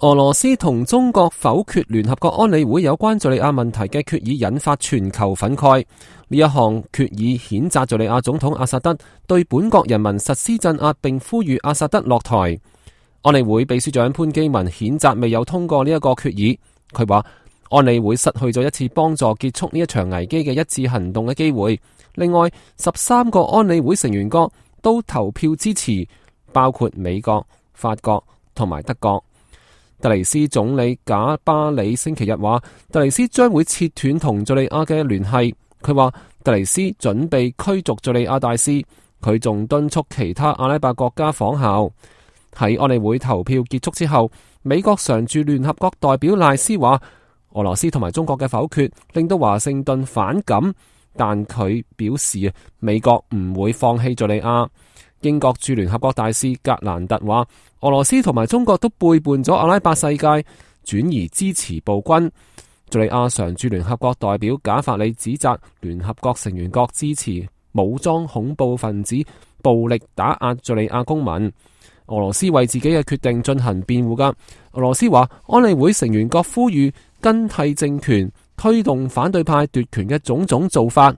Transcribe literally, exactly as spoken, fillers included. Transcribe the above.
俄羅斯同中國否決聯合國安理會有關敘利亞問題嘅決議，引發全球憤慨。呢一項決議譴責敘利亞總統阿薩德，對本國人民實施鎮壓，並呼籲阿薩德落台。安理會秘書長潘基文譴責未有通過呢一個決議。佢話安理會失去咗一次幫助結束呢一場危機嘅一致行動嘅機會。另外，十三個安理會成員國都投票支持，包括美國、法國同埋德國。特尼斯總理賈巴里星期日話，特尼斯將會切斷同敘利亞嘅聯繫。佢話特尼斯準備驅逐敘利亞大使，佢仲敦促其他阿拉伯國家仿效。喺安理會投票結束之後，美國常駐聯合國代表賴斯話，俄羅斯同埋中國嘅否決令到華盛頓反感，但佢表示美國唔會放棄敘利亞。英國駐聯合國大使格蘭特話，俄羅斯同埋中國都背叛咗阿拉伯世界，轉而支持暴君。敘利亞常駐聯合國代表賈法里指責聯合國成員國支持武裝恐怖分子暴力打壓敘利亞公民。俄羅斯為自己嘅決定進行辯護噶。俄羅斯話，安理會成員國呼籲更替政權，推動反對派奪權嘅種種做法